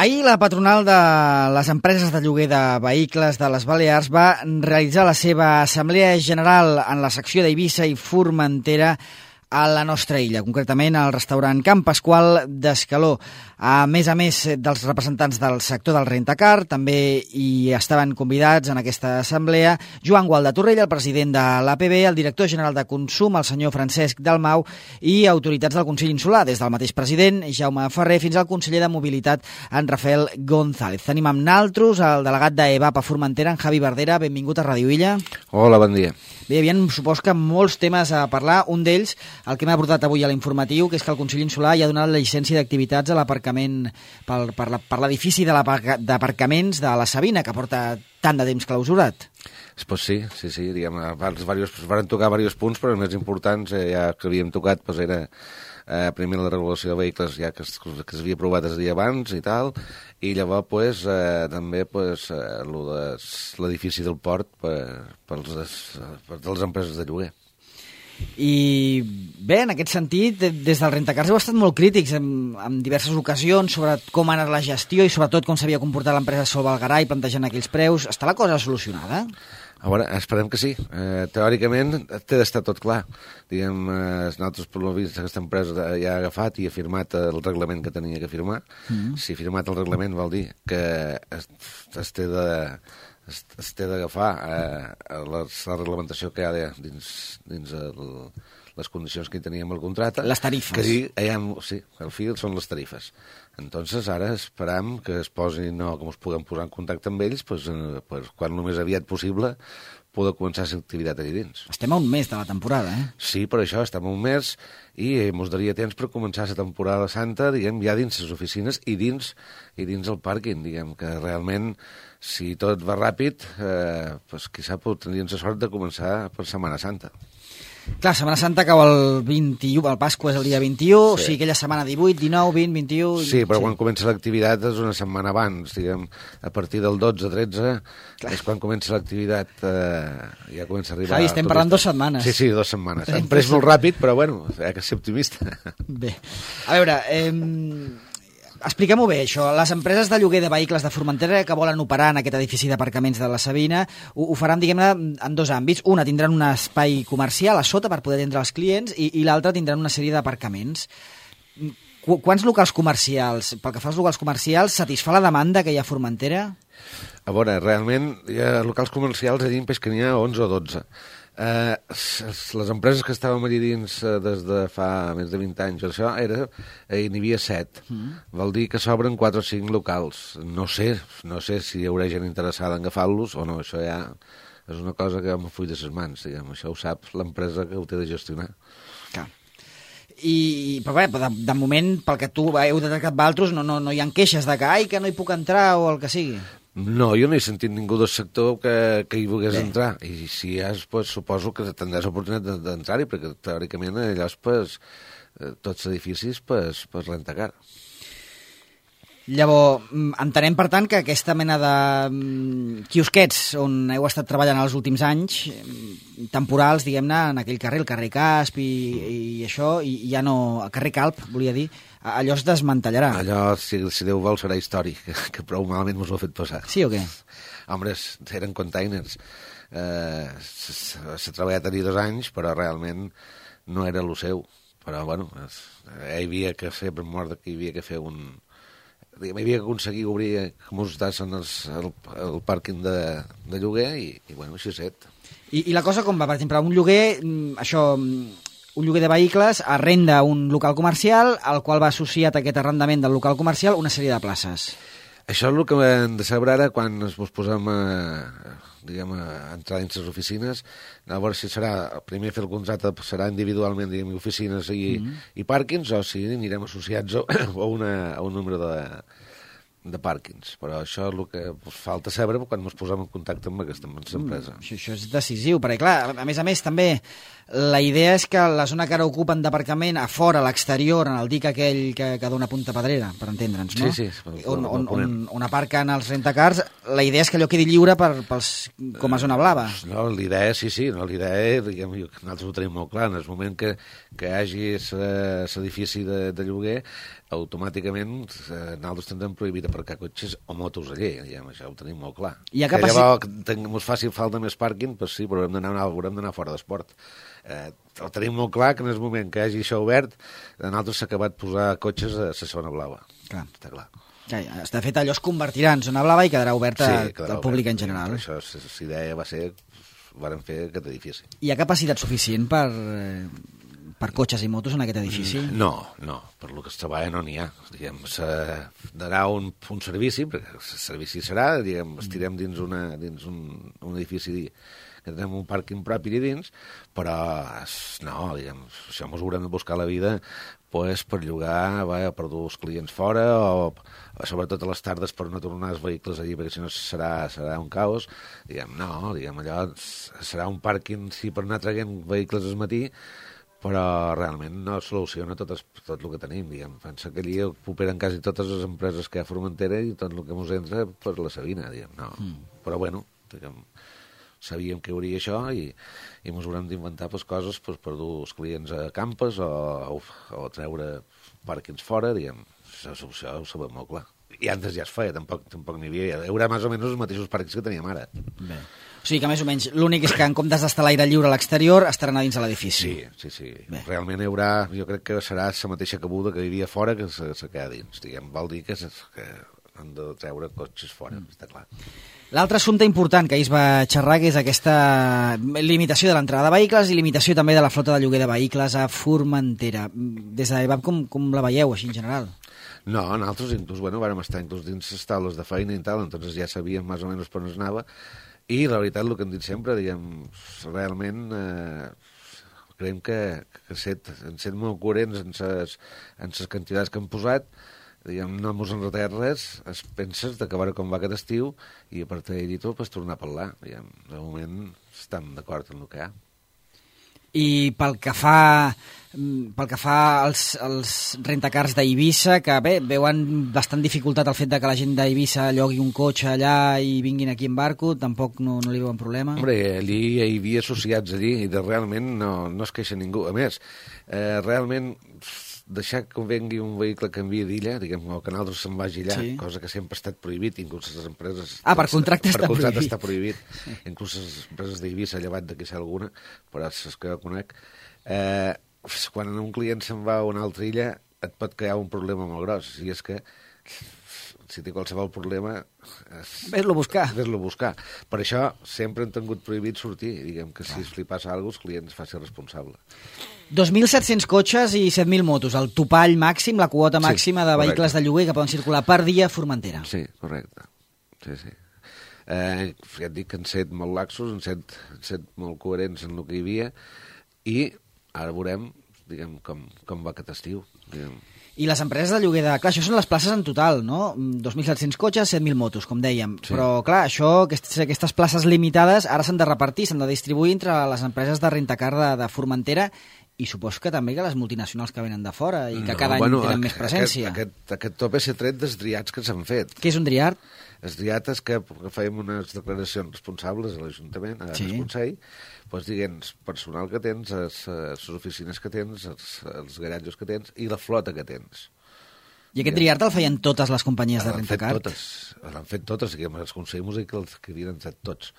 Ahir la patronal de les empreses de lloguer de vehicles de les Balears va realitzar la seva assemblea general en la secció d'Eivissa i Formentera a la nostra illa, concretament al restaurant Can Pasqual d'Escaló. A més dels representants del sector del rentacar, també hi estaven convidats en aquesta assemblea Joan Gual de Torrella, el president de l'APB, el director general de Consum, el senyor Francesc Dalmau, i autoritats del Consell Insular, des del mateix president, Jaume Ferrer, fins al conseller de Mobilitat, en Rafael González. Tenim amb naltros el delegat d'EVAP a Formentera, en Javi Verdera. Benvingut a Ràdio Illa. Hola, bon dia. Bé, hi havia, supos que molts temes a parlar. Un d'ells, el que m'ha portat avui a l'informatiu, que és que el Consell Insular ja ha donat la llicència d'activitats a l'aparcament per l'edifici d'aparcaments de la Sabina, que porta tant de temps clausurat. Pues sí, diguem, abans van tocar diversos punts, però els més importants ja que havíem tocat era primer la regulació de vehicles ja que s'havia aprovat el dia abans i tal, i llavors també l'edifici del port per les empreses de lloguer. I bé, en aquest sentit, des del Rentacars heu estat molt crítics en diverses ocasions sobre com ha anat la gestió i sobretot com s'havia comportat l'empresa Sol Valgarai plantejant aquells preus. Està la cosa solucionada? A veure, esperem que sí. Teòricament té d'estar tot clar. Diguem, nosaltres per l'ho vist aquesta empresa ja ha agafat i ha firmat el reglament que tenia que firmar. Si ha firmat el reglament vol dir que es té d'agafar la reglamentació que hi ha dins les condicions que hi teníem al contracte. Les tarifes. Sí, al fi són les tarifes. Entonces ara esperam que es posin, o que ens puguem posar en contacte amb ells quan el més aviat possible poder començar l'activitat allà dins. Estem a un mes de la temporada, Sí, per això estem a un mes i ens daria temps per començar la temporada santa, diguem, ja dins les oficines i dins el pàrquing, diguem, que realment, si tot va ràpid, qui sap, tindríem la sort de començar per Setmana Santa. Clar, Setmana Santa cau el 21, el Pasqua és el dia 21, sí. O sigui, aquella setmana 18, 19, 20, 21... Sí, però quan comença l'activitat és una setmana abans, diguem, a partir del 12-13, és quan comença l'activitat, ja comença a arribar... Javi, estem parlant 2 setmanes. Sí, 2 setmanes. Hem pres molt ràpid, però bueno, hay que ser optimista. Bé, a veure... Expliquem-ho bé, això. Les empreses de lloguer de vehicles de Formentera que volen operar en aquest edifici d'aparcaments de la Sabina ho faran, diguem-ne, en 2 àmbits. Una, tindran un espai comercial a sota per poder atendre els clients i l'altra tindran una sèrie d'aparcaments. Quants locals comercials, pel que fa als locals comercials, satisfà la demanda que hi ha a Formentera? A veure, realment, hi ha locals comercials allà que n'hi ha 11 o 12. Les empreses que estàvem allà dins des de fa més de 20 anys, això n'hi havia 7. Vol dir que s'obren 4 o 5 locals. No sé si hi haurà gent interessada en agafar-los o no. Això ja és una cosa que em full de ses mans, diguem. Això ho sap l'empresa que ho té de gestionar. Clar. Però bé, de moment, pel que tu heu detectat d'altres, no hi ha queixes de que no hi puc entrar o el que sigui. No, jo no he sentit ningú del sector que hi volgués entrar. I si hi has, suposo que tindràs oportunitat d'entrar-hi, perquè teòricament allò és tots els edificis per Rentacar. Llavors, entenem, per tant, que aquesta mena de quiosquets on heu estat treballant els últims anys, temporals, diguem-ne, en aquell carrer, el carrer Casp i això, i ja no... El carrer Calp, volia dir, allò es desmantellarà. Allò, si Déu vol, serà històric, que prou malament ens ho ha fet passar. Sí o què? Home, eren containers. S'ha treballat allà 2 anys, però realment no era el seu. Però, bueno, hi havia que fer, per mort que hi havia que fer hi havia que aconseguir obrir com us dassen el pàrquing de lloguer i bueno, així és set. I la cosa com va? Per exemple, un lloguer, un lloguer de vehicles arrenda un local comercial al qual va associat aquest arrendament del local comercial una sèrie de places. Això és el que hem de saber ara quan ens posem a entrar dins les oficines, a veure si serà, primer fer el contracte serà individualment, diguem, oficines i pàrquings, o si anirem associats a un número de pàrquings. Però això és el que falta saber quan ens posem en contacte amb aquesta empresa. Això és decisiu, perquè clar, a més també, la idea és que la zona que ara ocupen d'aparcament a fora, a l'exterior, en el dic aquell que dona Punta Pedrera, per entendre'ns, no? Sí. On aparquen els rentacars, la idea és que allò quedi lliure com a zona blava. No, l'idea, l'idea, diguem, nosaltres ho tenim molt clar, en el moment que hi hagi l'edifici de lloguer, automàticament nosaltres tindrem prohibit aparcar cotxes o motos allà, diguem, això ho tenim molt clar. I que llavors ens faci falta més pàrquing, doncs sí, però haurem d'anar fora d'esport. Ho tenim molt clar que en el moment que hi hagi això obert, nosaltres s'ha acabat posar cotxes a la zona blava. Clar. Està clar. De fet, allò es convertirà en zona blava i quedarà oberta al públic en general. Això, la idea va ser, varen fer aquest edifici. Hi ha capacitat suficient per cotxes i motos en aquest edifici? No, per lo que es treballa no n'hi ha. Diguem, d'anar un servici, perquè el servici serà, diguem, estirem dins un edifici que tenim un pàrquing propi dins, però no, diguem, això ens haurem de buscar la vida pues, per llogar per dur els clients fora o sobretot a les tardes per no tornar els vehicles allí, perquè si no serà un caos. Diguem, no, allò serà un pàrquing sí, per anar traient vehicles al matí, però realment no soluciona tot el que tenim. Diguem. Pensa que allí operen quasi totes les empreses que hi ha a Formentera i tot el que ens entra per la Sabina. Diguem. No. Però bueno, diguem, sabíem que hi hauria això i ens haurem d'inventar coses per dur els clients a campes o treure pàrquings fora. Diguem. Això ho sabem molt clar. I antes ja es feia, tampoc n'hi havia. Hi haurà més o menys els mateixos pàrquings que teníem ara. Bé. O sigui que més o menys l'únic és que en comptes d'estar a l'aire lliure a l'exterior estaran a dins de l'edifici. Sí. Bé. Realment hi haurà, jo crec que serà la mateixa cabuda que hi havia fora que se queda dins. Diguem, vol dir que han de treure cotxes fora, està clar. L'altre assumpte important que ahir es va xerrar que és aquesta limitació de l'entrada de vehicles i limitació també de la flota de lloguer de vehicles a Formentera. Des d'EVAP com la veieu així en general? No, nosaltres inclús, vàrem estar inclús dins les taules de feina i tal, entonces ja sabíem més o menys per on es anava. I la veritat, el que hem dit sempre, diguem, realment creiem que han set molt coherents en les quantitats que han posat, diguem, no ens han retallat res, es penses d'acabar com va aquest estiu i a partir d'allí tot pots tornar a parlar. Diguem, de moment estem d'acord en el que hi ha. I pel que fa als rentacars d'Eivissa, que bé, veuen bastant dificultat el fet de que la gent d'Eivissa llogui un cotxe allà i vinguin aquí en barco, tampoc no li veuen problema? Hombre, allí hi havia associats allí i realment no es queixa ningú. A més, realment deixar que vengui un vehicle que envia d'illa, diguem, o que nosaltres se'n vagi allà, sí. Cosa que sempre ha estat prohibit, inclús les empreses... per contracte està prohibit. Sí. Inclús les empreses d'Eivissa, llevat de que sigui alguna, però és que jo conec. Quan un client se'n va a una altra illa, et pot crear un problema molt gros, i és que si té qualsevol problema... Ves-lo buscar. Per això sempre han tingut prohibit sortir, diguem que si li passa alguna cosa, els clients facin responsable. 2.700 cotxes i 7.000 motos, el topall màxim, la quota màxima de vehicles de lloguer que poden circular per dia a Formentera. Sí, correcte. Sí. Ja et dic que han set molt laxos, han set molt coherents en el que hi havia, i ara veurem, diguem, com va aquest estiu, diguem. I les empreses de lloguer de... Clar, això són les places en total, no? 2.700 cotxes, 7.000 motos, com dèiem. Sí. Però, clar, aquestes places limitades ara s'han de repartir, s'han de distribuir entre les empreses de rentacar de Formentera i supos que també que les multinacionals que venen de fora i que cada any tenen més presència. Aquest tope s'ha tret dels driats que s'han fet. Què és un driat? Els driat és que fèiem unes declaracions responsables a l'Ajuntament, al Consell, doncs diguem, personal que tens, les oficines que tens, els garatges que tens i la flota que tens. I aquest driat el feien totes les companyies de rentacar? L'han fet totes, diguem, els Consell Músic que havien entrat tots.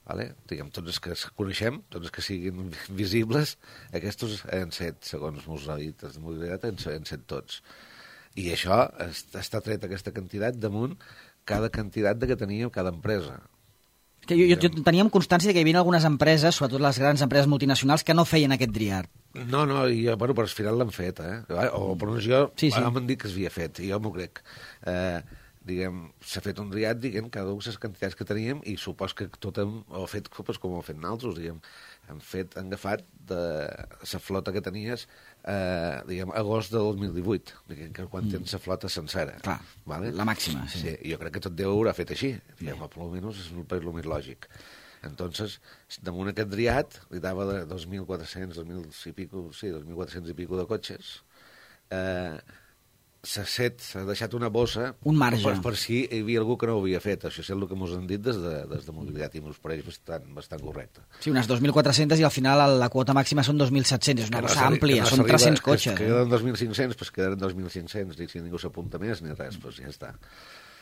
Vale? Diguem, tots els que coneixem, tots els que siguin visibles, aquests han set, segons mos ha dit el mobilitat, han set tots. I això està tret aquesta quantitat damunt cada quantitat que tenia cada empresa. Jo teníem constància que hi havia algunes empreses, sobretot les grans empreses multinacionals, que no feien aquest driat. No, i bueno, per al final l'han fet, o per una jo m'han dit que s'havia fet, i jo m'ho crec. Diguem, s'ha fet un driat, diguem, cada una de les quantitats que teníem, i supos que tot ho ha fet com ho hem fet nosaltres, diguem. Han agafat de la flota que tenies, diguem, agost de 2018, diguem, que quan tens la flota sencera. Clar, vale? La màxima, sí. Jo crec que tot Déu haurà fet així, diguem, almenys és el més lògic. Entonces, damunt aquest driat, li dava de 2.400, 2.400 i pico de cotxes, s'ha deixat una bossa un marge per si hi havia algú que no ho havia fet. Això és el que ens han dit des de mobilitat i ens pareix bastant correcte. Sí, unes 2.400 i al final la quota màxima són 2.700, és una bossa àmplia, són 300 cotxes. Que queden 2.500, doncs quedaran 2.500, i si ningú s'apunta més ni res, doncs ja està.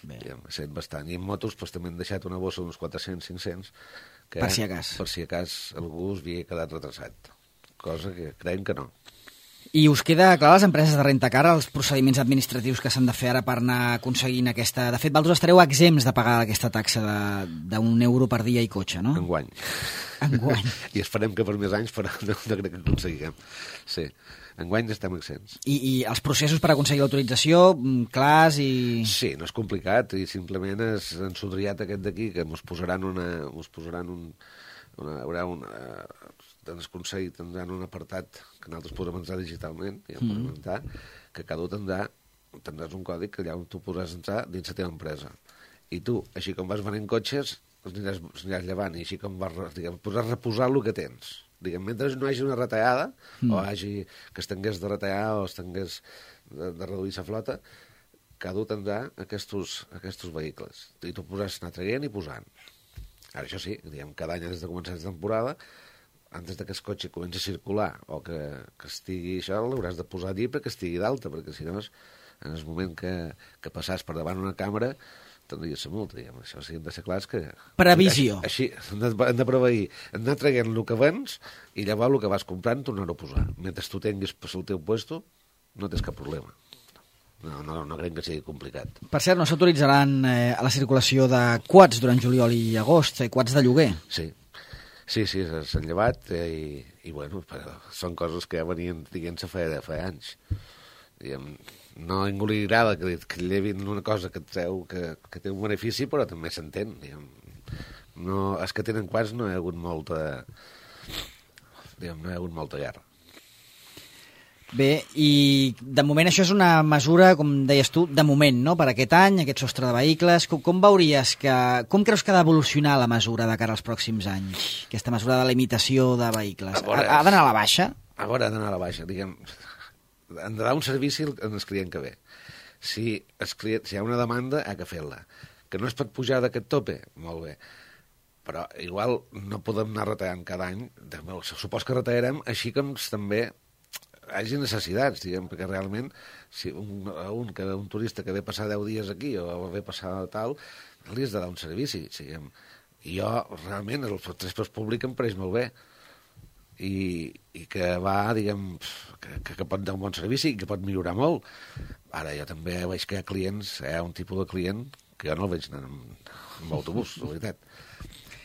Diguem, sent bastant. I en motos doncs, també han deixat una bossa d'uns 400-500 que, Per si acas. Per si acas algú es havia quedat retrasat. Cosa que creiem que no. I us queda clar a les empreses de rentacar els procediments administratius que s'han de fer ara per anar aconseguint aquesta... De fet, vosaltres estareu exempts de pagar aquesta taxa d'1 € per dia i cotxe, no? Enguany. I esperem que per més anys, però no crec que aconseguiguem. Sí, enguany estem exempts. I els processos per aconseguir l'autorització, clars i... Sí, no és complicat, i simplement és ensodriat aquest d'aquí, que ens posaran ens aconseguit tindran un apartat que nosaltres podrem entrar digitalment, que cada un tindràs un còdic que allà on tu podràs entrar dins la teva empresa. I tu, així com vas venent cotxes, els aniràs llevant, i així com podràs reposar el que tens. Mentre no hi hagi una retallada, o hagi que es tingués de retallar o es tingués de reduir la flota, cada un tindrà aquests vehicles. I tu podràs anar traient i posant. Ara, això sí, cada any des de començar la temporada, antes que el cotxe comenci a circular o que estigui això, l'hauràs de posar allí perquè estigui d'alta, perquè si no, en el moment que passàs per davant una càmera, tindries la multa. Això sí, hem de ser clars que... Previsió. Així, hem de preveir, hem d'anar traient el que vens i llavors el que vas comprant tornar-ho a posar. Mentre tu tinguis per al teu puesto, no tens cap problema. No crec que sigui complicat. Per cert, no s'autoritzaran a la circulació de quads durant juliol i agost, quads de lloguer? Sí, s'han llevat i bueno, però són coses que ja venien dient-se fa anys. No a ningú li agrada que llevin una cosa que té un benefici, però també s'entén. No, els que tenen quads no hi ha hagut molta guerra. Bé, i de moment això és una mesura, com deies tu, de moment, no?, per aquest any, aquest sostre de vehicles. Com creus que ha d'evolucionar la mesura de cara als pròxims anys? Aquesta mesura de limitació de vehicles. Ha d'anar a la baixa? Ha d'anar a la baixa, han de dar un servici al client que ve. Si hi ha una demanda, ha que fer-la. Que no es pot pujar d'aquest tope? Molt bé. Però igual no podem anar retallant cada any. Supos que retallarem així com també hi hagi necessitats, perquè realment si un turista que ve passar 10 dies aquí o ve passar tal, li has de dar un servici. I jo, realment, el transport públic em pareix molt bé i que va, que pot dar un bon servici i que pot millorar molt. Ara jo també veig que hi ha clients, hi ha un tipus de client que jo no el veig anant amb autobús, la veritat.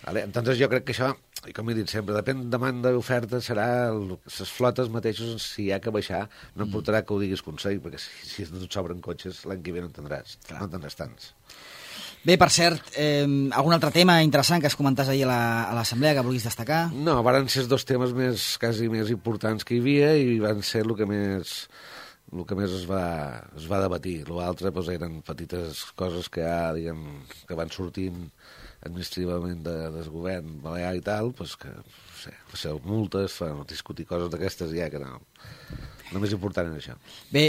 Entonces jo crec que això, i com he dit sempre, depèn de demanda i oferta, serà les flotes mateixes, si hi ha que baixar, no portarà que ho diguis consell, perquè si no et sobren cotxes, l'any que ve no en tindràs, no en tindràs tants. Bé, per cert, algun altre tema interessant que es comentàs ahir a l'assemblea que vulguis destacar? No, van ser els dos temes quasi més importants que hi havia i van ser el que més es va debatir. L'altre eren petites coses que van sortint administrativament del govern balear i tal, que multes, discutir coses d'aquestes ja que no. El més important és això. Bé,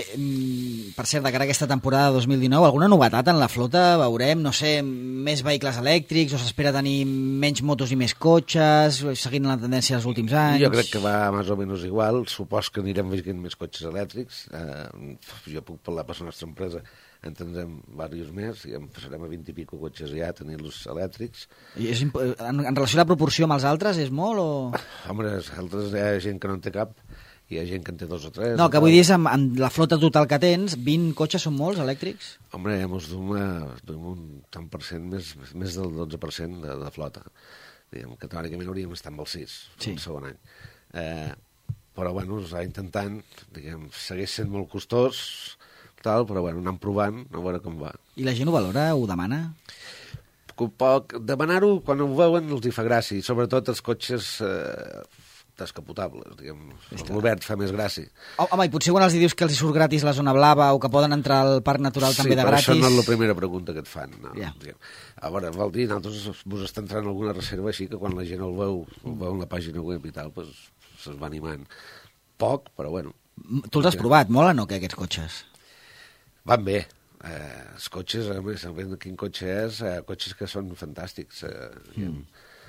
per cert, de cara a aquesta temporada 2019, alguna novetat en la flota? Veurem, no sé, més vehicles elèctrics o s'espera tenir menys motos i més cotxes, seguint la tendència dels últims anys? Jo crec que va més o menys igual. Supos que anirem veient més cotxes elèctrics. Jo puc parlar per la nostra empresa, en tindrem diversos més, i passarem a 20 i pico cotxes ja, tenir-los elèctrics. En relació a la proporció amb els altres, és molt o...? Home, els altres hi ha gent que no en té cap, hi ha gent que en té 2 o 3. No, que vull dir és, amb la flota total que tens, 20 cotxes són molts elèctrics? Home, ens duem un tant per cent, més del 12% de flota. Que teòricament hauríem d'estar amb el 6, el segon any. Però, bueno, es va intentant, segueix sent molt costós, però, bueno, anant provant, a veure com va. I la gent ho valora, ho demana? Demanar-ho, quan ho veuen, els hi fa gràcia, sobretot els cotxes descapotables, l'Obert fa més gràcia. Home, i potser quan els dius que els hi surt gratis la zona blava o que poden entrar al Parc Natural també de gratis... Sí, però això no és la primera pregunta que et fan. A veure, vol dir, nosaltres vos està entrant alguna reserva així que quan la gent el veu en la pàgina web i tal, se'ls va animant. Poc, però bueno. Tu els has provat, molen o què, aquests cotxes? Van bé. Els cotxes, a més, quin cotxe és, cotxes que són fantàstics.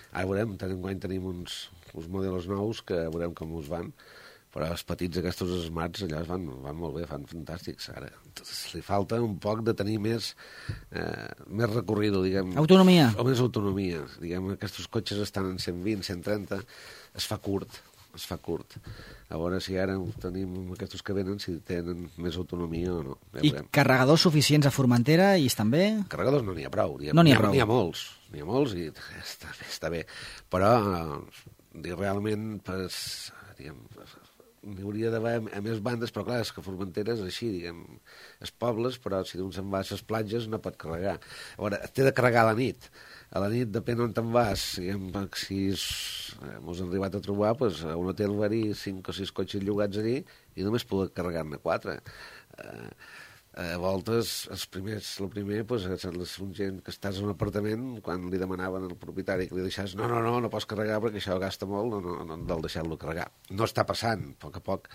Ara veurem, enguany tenim uns modelos nous que veurem com us van, Però els petits aquests smarts allà van molt bé, fan fantàstics. Ara li falta un poc de tenir més recorrido, diguem. Autonomia. O més autonomia. Diguem, aquests cotxes estan en 120, 130, es fa curt. A veure si ara tenim aquests que venen, si tenen més autonomia o no. I carregadors suficients a Formentera i estan bé? Carregadors no n'hi ha prou. No n'hi ha prou. N'hi ha molts i està bé. Però realment n'hi hauria d'haver a més bandes, però clar, és que Formentera és així, diguem, és pobles, però si un se'n va a les platges no pot carregar. A veure, té de carregar a la nit. A la nit, depèn on te'n vas, diguem, si mos hem arribat a trobar, doncs, a un hotel va haver 5 o 6 cotxes llogats allí i només poder carregar-ne 4. A voltes, el primer, doncs, un gent que estàs en un apartament, quan li demanaven al propietari que li deixàs, no pots carregar perquè això gasta molt, no del deixar-lo carregar. No està passant, a poc,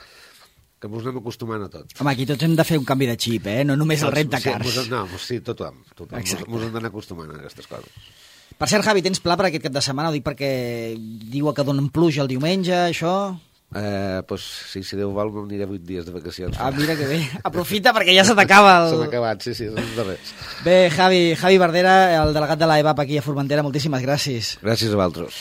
que ens anem acostumant a tot. Home, aquí tots hem de fer un canvi de xip, no només el rentacars. Sí, tothom. Ens hem d'anar acostumant a aquestes coses. Per cert, Javi, tens pla per aquest cap de setmana? Ho dic perquè diuen que donen pluja el diumenge, això... Pues sí, si Déu vol, m'aniré 8 dies de vacacions. Mira que bé. Aprofita perquè ja se t'acaba el... Se m'ha acabat, sí, són els darrers. Bé, Javi Verdera, el delegat de l'AEVAP aquí a Formentera, moltíssimes gràcies. Gràcies a vosaltres.